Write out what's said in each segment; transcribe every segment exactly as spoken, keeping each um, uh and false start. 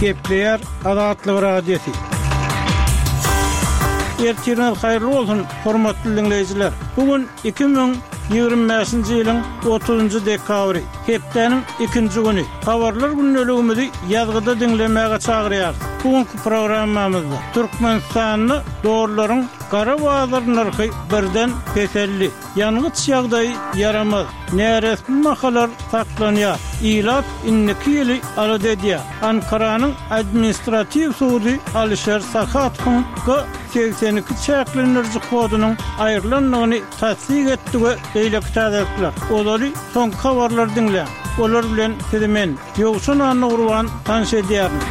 Gepleýär Azatlyk Radiosy. Ertiriňiz haýyrly bolsun, hormatly diňleýjiler. Bu gün iki müň ýigrimi bäşinji ýylyň otuzynjy dekabry, hepdäniň ikinji güni. Habarlar gündeligimizi ýazgyda diňlemäge çagyrýarys. Bu günki programmamyzda Türkmenistanda dollaryň gara bazar nyrhy birden peseldi. Ýangyç ýagdaýy ýaramaz, näresmi bahalar saklanýar, ilat indiki ýyly alada edýär. Ankaranyň administratiw sudy Alişer Sahatowyň G segsen iki çäklendiriji kodunyň aýrylandygyny tassyk etdi we beýleki täzelikler. Ozaly soňky habarlary diňläň. Olar bilen sizi men, Ýowşan Annagurban tanyş edýärin.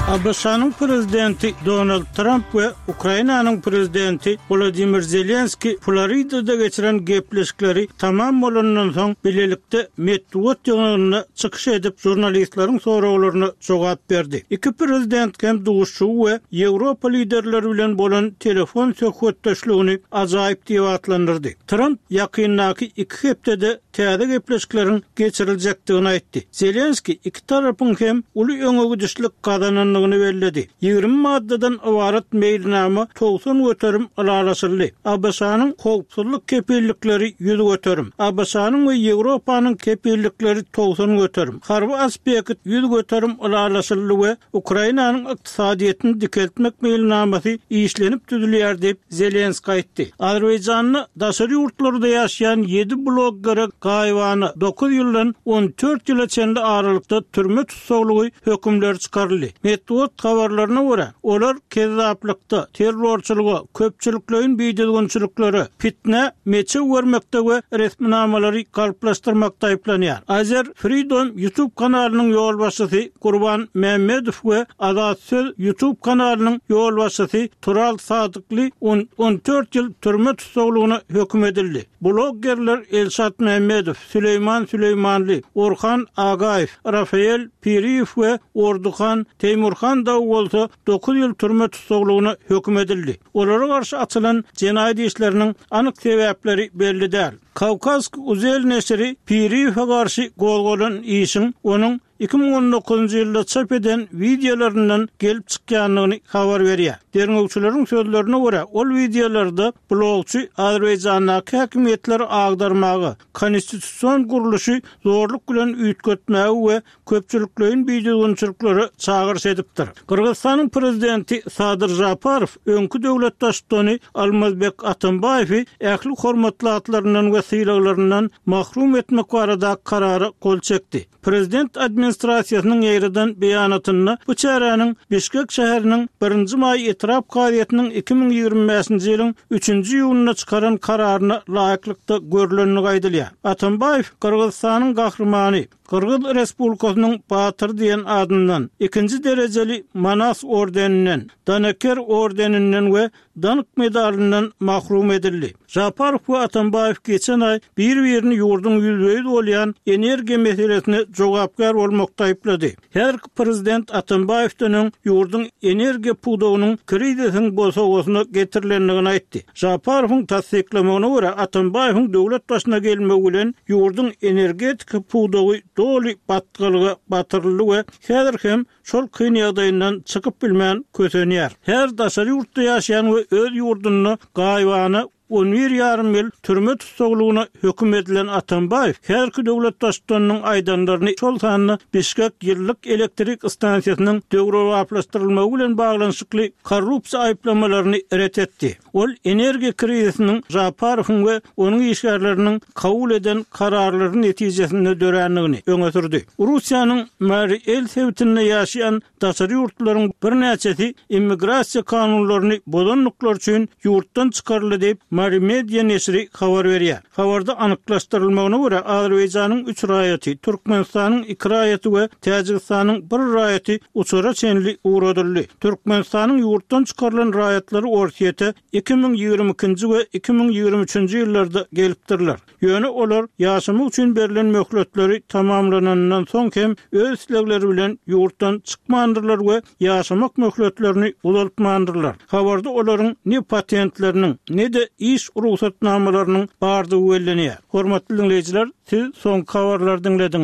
ABŞ-nyň prezidenti Donald Tramp we Ukrainanyň prezidenti Wladimir Zelenski Floridada geçiren gepleşikleri tamam bolandan soň bilelikde metbugat ýygnagynda çykyş edip, žurnalistleriň soraglaryna jogap berdi. Iki prezident hem duşuşygy we Ýewropa liderleri bilen bolan telefon söhbetdeşligini ajaýyp diýip atlandyrdy. Tramp ýakyndaky iki hepdede täze gepleşikleriň geçiriljekdigini aýtdy. Zelenski iki tarapyň hem uly öňe gidişlik gazanandygyny belledi. Ýigrimi maddadan ybarat meýilnama togsan göterim ylalaşyldy. ABŞ-nyň howpsuzlyk kepillikleri ýüz göterim, ABŞ-nyň we Ýewropanyň kepillikleri togsan göterim, harby aspekt ýüz göterim ylalaşyldy we Ukrainanyň ykdysadyýetini dikeltmek meýilnamasy işlenip düzülýär diýip Zelenski aýtdy. Azerbaýjanda daşary ýurtlarda ýaşaýan ýedi bloggere gaýybana dokuz ýyldan on dört ýyla çenli aralykda türme tussaglygy hökümleri çykaryldy. Metbugat habarlaryna görä, olar kezzaplykda, terrorçylyga, köpçülikleýin bidüzgünçiliklere, fitnä meçew bermekde we resminamalary galplaşdyrmakda aýyplanýar. Azer Freedom YouTube kanalynyň ýolbaşçysy Gurban Mämmedow we Azat Söz YouTube kanalynyň ýolbaşçysy Tural Sadykly on, on dört ýyl türme tussaglygyna höküm edildi. Bloggerler Elşat Mämmedow, Süleýman Süleýmanly, Orhan Agaýew, Rafael Piriýew we Orduhan Teýmurhan dagy bolsa dokuz ýyl türme tussaglygyna höküm edildi. Olara garşy açylan jenaýat işleriniň anyk sebäpleri belli däl. Kawkazsk Uzel neşiri Piriýewe garşy gozgalan işiň onuň iki müň on dokuzynjy ýylda çap eden wideolaryndan gelip çykýandygyny habar berýär. Derňewçileriň sözlerine görä, ol wideolarda blogçy Azerbaýjandaky häkimiýetleri agdarmaga, konstitusion gurluşy zorluk bilen üýtgetmäge we köpçülikleýin bidüzgünçiliklere çagyryş edipdir. Gyrgyzystanyň prezidenti Sadyr Žaparow öňki döwlet baştutany Almazbek Atambaýewi ähli hormatly atlaryndan we sylaglaryndan mahrum etmek barada karara gol çekdi. Prezident administrasiýasynyň ýaýradan beýanatynda bu çäräniň Bişkek şäheriniň birinji maý etrap kazyýetiniň iki müň ýigrimi bäşinji ýylyň üçünji iýunynda çykaran kararyna laýyklykda görlendigi aýdylýar. Atambaýew Gyrgyzystanyň gahrymany, Gyrgyz Respublikasynyň batyry diýen adyndan, ikinji derejeli Manas ordeninden, Danaker ordeninden we Dank medalyndan mahrum edildi. Žaparow we Atambaýew geçen aý bir-birini ýurduň ýüzbe-ýüz bolýan energiýa meselesine jogapkär bolmakda aýyplady. Häzirki prezident Atambaýewden öň ýurduň energiýa pudagynyň krizisiň bosagasyna getirilendigini aýtdy. Žaparowyň tassyklamagyna görä, Atambaýewiň döwlet başyna gelmegi bilen ýurduň energetika pudagy doly batgalyga batyryldy we häzir hem şol kyn ýagdaýyndan çykyp bilmän kösenýär. Her daşary ýurtda ýaşaýan we öz ýurdunda gaýybana on bir ýarym ýyl türme tussaglygyna höküm edilen Atambaýew häzirki döwlet baştutanynyň aýdanlaryny, şol sanda Bişkek ýyllyk elektrik stansiýasynyň döwrebaplaşdyrylmagy bilen baglanyşykly korrupsiýa aýyplamalaryny ret etdi. Ol energiýa krizisiniň Žaparowyň we onuň işgärleriniň kabul eden kararlary netijesinde dörändigini öňe sürdi. Russiýanyň Mari El sebitinde ýaşaýan daşary ýurtlaryň birnäçesi immigrasiýa kanunlaryny bozandyklary üçin ýurtdan çykaryldy diýip, Mari Media neşiri habar berýär. Habarda anyklaşdyrylmagyna görä, Azerbaýjanyň üç raýaty, Türkmenistanyň iki raýaty we Täjigistanyň bir raýaty uçara çenli ugradyldy. Türkmenistanyň ýurtdan çykarylan raýatlary Orsýete iki müň ýigrimi ikinji we iki müň ýigrimi üçünji ýyllarda gelipdirler. Ýöne olar ýaşamak üçin berlen möhletleri tamamlanandan soň hem öz islegleri bilen ýurtdan çykmandyrlar we ýaşamak möhletlerini uzaltmandyrlar. Habarda olaryň ne patentleriniň, ne-de iş rugsatnamalarynyň bardygy bellenýär. Hormatly diňleýjiler, siz soňky habarlary diňlediňiz.